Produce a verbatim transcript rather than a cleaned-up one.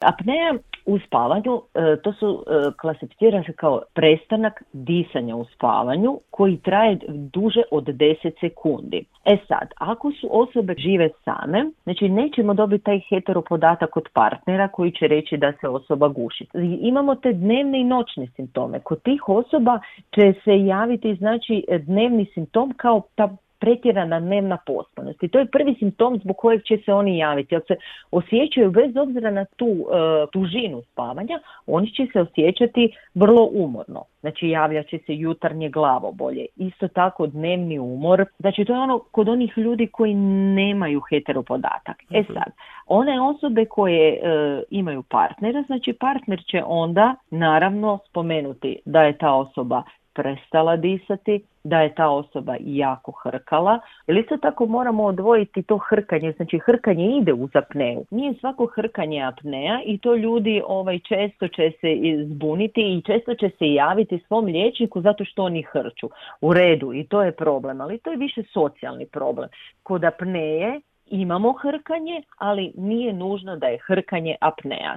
Apnea u spavanju, to su klasificira se kao prestanak disanja u spavanju koji traje duže od deset sekundi. E sad, ako su osobe žive same, znači nećemo dobiti taj heteropodatak od partnera koji će reći da se osoba guši. Imamo te dnevne i noćne simptome. Kod tih osoba će se javiti znači dnevni simptom kao ta pretjerana dnevna pospanost. I to je prvi simptom zbog kojeg će se oni javiti. Jer se osjećaju, bez obzira na tu uh, tužinu spavanja, oni će se osjećati vrlo umorno. Znači javljat će se jutarnje glavobolje. Isto tako dnevni umor. Znači to je ono kod onih ljudi koji nemaju heteropodatak. E sad, one osobe koje uh, imaju partnera, znači partner će onda naravno spomenuti da je ta osoba prestala disati, da je ta osoba jako hrkala. Ili isto tako moramo odvojiti to hrkanje, znači hrkanje ide uz apneju. Nije svako hrkanje apneja i to ljudi ovaj, često će se zbuniti i često će se javiti svom liječniku zato što oni hrču. U redu, i to je problem, ali to je više socijalni problem. Kod apneje imamo hrkanje, ali nije nužno da je hrkanje apneja.